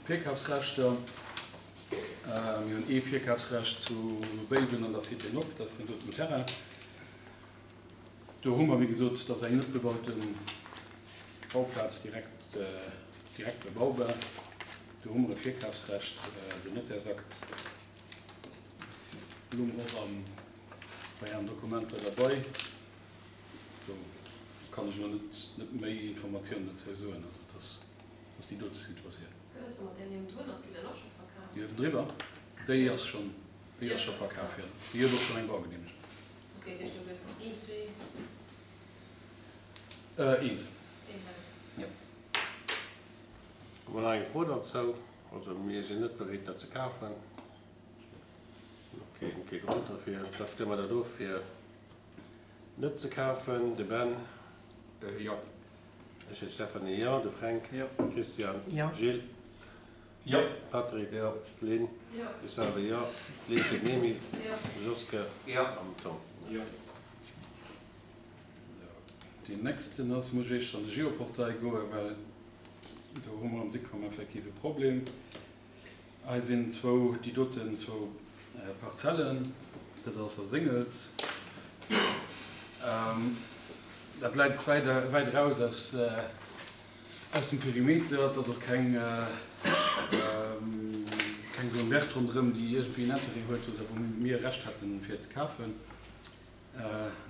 Virkafsrechter. Mir hunn ee Virkafsrecht zu Béiwen an der Cité Nock, dat ass deen doten Terrain. Do hu mer, wéi gesot, dat ass eng net bebaute Bauplaz, direkt, direkt bebaubar. Do hu mer e Virkafsrecht. Den Nottärsakt lung och am, bei Ären Dokumenter derbei. Do kann ech elo net, net méi Informatiounen dozou soen. Also et ass, ass déi dote Situatioun. Wéi ass da mat där niewendrun? Ass déi dann och scho verkaf? Déi niewendriwwer, déi ass schonn, déi ass scho verkaf, jo. Déi huet och schonn eng Baugeneemegung. Ok, dat heescht do gëtt een, zwee. Eent. Een Haus. Jo. Hu mer nach eng Fro derzou? Also mir sinn net bereet dat ze kafen. Ok, kee Grond derfir. Da stëmme mer dat of fir net ze kafen. De Ben? Jo. Ech, de Stéphanie, jo. De Fränk? Jo. Christian? Jo. Gilles? Jo. Patrick? Jo. Lynn? Jo. Ech selwer jo. Lynn fir den Emile? Jo. Joske? Jo. An Tom? Jo. Deen nächsten ass, muss ech éischter an de Geoportail goen, well do hu mer am Sicom effektiv e Problem. Hei sinn zwou, déi doten zwou Parzellen, dat ass a Séngels. Dat läit wäit, wäit eraus aus, aus dem Perimeter. Et ass och keng, keng Zone verte ronderëm, déi iergendwéi en Interêt huet oder wou mir Recht hätten, fir et ze kafen.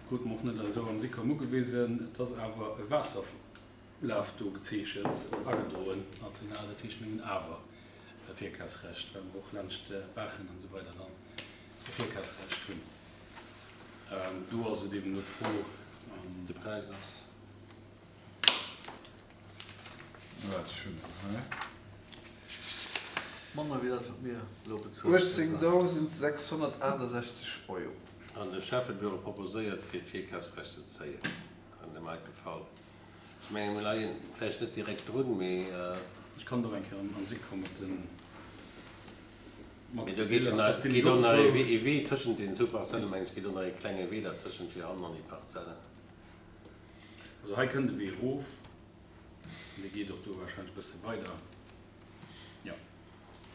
Krute mer och net esou am Sicom ugewisen. Et ass awer e Waasserlaf do gezeechent, agedroen national. Dat heescht, mir hunn awer e Virkafsrecht, well mer och laanscht Baachen an esou weider dann e Virkafsrecht hunn. Do ass et eben elo d'Fro. De Präis ass. Waart, ech hunn en hei. Manner wéi dat, wat mir elo bezuelen. 18.668 Euro. An de Schäffebüro proposéiert, fir d'Virkafsrecht ze zéien an dem heite Fall. Ech mengen, mir leien vläicht net direkt drun, mee. Ech kann do eng Kéier an si komme mat den, mat Mee do geet jo nach, geet och nach ee Wee tëschent deenen zwou Parzellen, mengen ech, geet och nach ee klenge Wee dertëschent fir hannen an déi Parzellen. Also hei kënnt e Wee erof an dee geet och do wahrscheinlech e bësse weider, jo.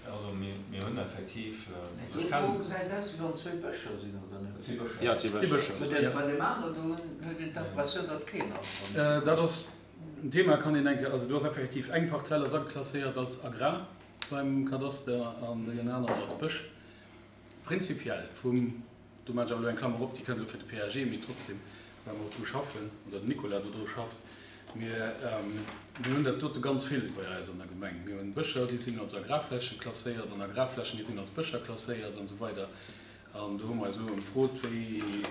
Also mir hunn effektiv, also ech kennen. Do gesäit aus wéi wann zwéi Bëscher sinn, oder net? Dat si Bëscher. Jo, et si Bëscher. Mä bei deem aneren do huet een d'Impressioun, datt keen ass. Dat ass en Thema, kann een enke, also do ass effektiv eng Parzell ass ageklasséiert als Agrar beim Kadaster an déi aner als Bësch. Prinzipiell vum Do maachen ech awer elo eng Klammer op, déi kënnt elo fir de PAG, mee trotzdem, well mer och dru schaffen, oder den Nicolas do dru schafft, mir, mir hunn dat dote ganz vill bei eis an der Gemeng. Mir hunn Bëscher, déi sinn als Agrarfläche klasséiert an Agrarflächen, déi sinn als Bëscher klasséiert an esou weider. An do hu mer eis elo ëmfrot, wéi,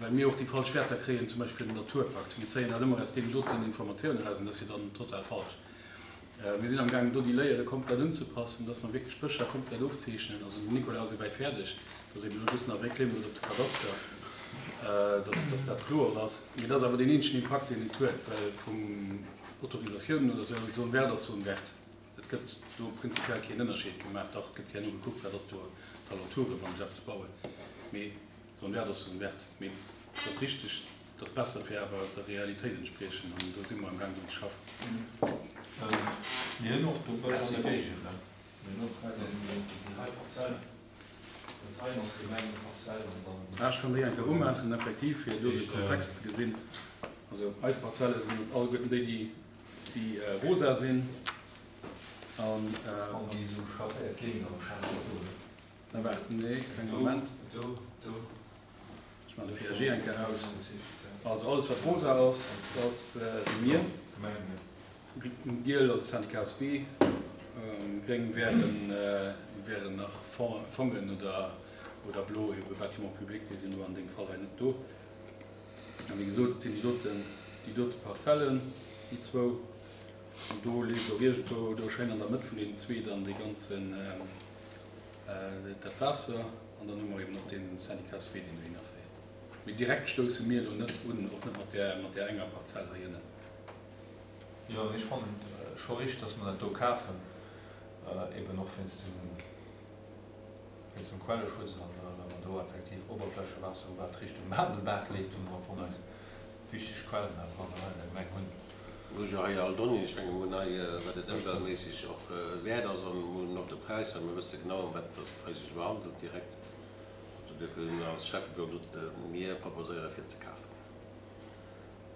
well mir och déi falsch Wäerter kréien, zum Beispill fir den Naturpakt. Mir zéien dat ëmmer aus deenen doten Informatiounen eraus an dat ass jo dann total falsch. Mir sinn amgaangen do déi Layere komplett unzepassen, dass mer wierklech d'Bëscher komplett ofzeechnen. Also den Nicolas ass esouwäit fäerdeg, dass eben elo just nach réclaime gëtt op de Kadaster, dass dass dat kloer ass. Mee dat ass awer deen eenzegen Impakt deen et huet, well vum Autorisatiounen oder esou, Zone verte ass Zone verte. Et gëtt do prinzipiell keen Ënnerscheed gemaach. Dach, et gëtt herno gekuckt, wat ass do d'Alentoure wann ech eppes bauen. Mee Zone verte ass Zone verte. Mee et ass richteg. Et ass besser fir awer der Realitéit entspriechen an do si mer am gaang drun ze schaffen. Mir hunn och do Bësch an der Géigend, ne? Mir hunn och hei déi hei Parzell, dat heien ass Gemengeparzell an dann. Ah, ech kann déi eng Kéier umaachen, effektiv, fir do de Kontext ze gesinn. Also eis Parzelle sinn alleguerten déi, déi rosa sinn an. An déi esou schafféiert ginn am Schäfferot, ne? Na waart, nee, keng Moment. Do, do. Ech maachen de PAG eng Kéier aus. Also alles wat rosa ass, dat si mir. Giel ass de Syndicat SB. Gréng wären nach Fongen oder blo ebe Bâtiments publics, déi sinn elo an deem Fall hei net do. A wéi gesot, et sinn déi doten, déi dote Parzellen, déi zwou. An do leeft och iergendwou do schéin an der Mëtt vun deenen zwee dann dee ganzen, Dat Waasser, an dann hu mer eben och dee Syndicatswee, deen dohinner féiert. Mee direkt stousse mir elo net un, och net mat där, mat där enger Parzell hei ënnen. Jo, mee ech fannen et scho richteg, dass mer dat do kafen, eben och wéinst dem, wéinst dem Quelleschutz an well mer do effektiv Oberflächewaasser hu wat Richtung Maandelbaach leeft, wou mer am Fong eis wichteg Quellen awer hei an der Gemeng hunn. Mir hu jo hei all Donnéeën. Ech menge mir hunn hei, wat et ëmweltméisseg och wäert ass, an mir hunn och de Präis a mir wësse genau, ëm wat dass et hei sech iwwer handelt direkt. Also duerfir hunn mir als Schäffebüro gesot, mir proposéiere fir ze kafen.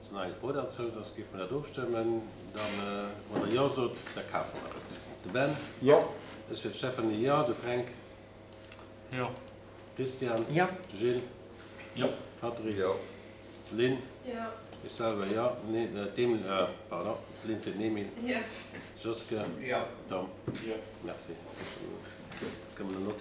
Ass nach eng Fro derzou? Soss géife mer dat ofstëmmen. Dann, wann Der Jo sot, da kafe mer et. De Ben? Jo. Ech fir d'Stéphanie, jo. De Fränk? Jo. Christian? Jo. Gilles? Jo. Patrick? Jo. Lynn? Jo. Ech selwer, jo. Nee, d'Emile, pardon, d'Lynn fir den Emile. Jo. Joske? Jo. Tom? Jo. Merci. Kënne mer den Notaire.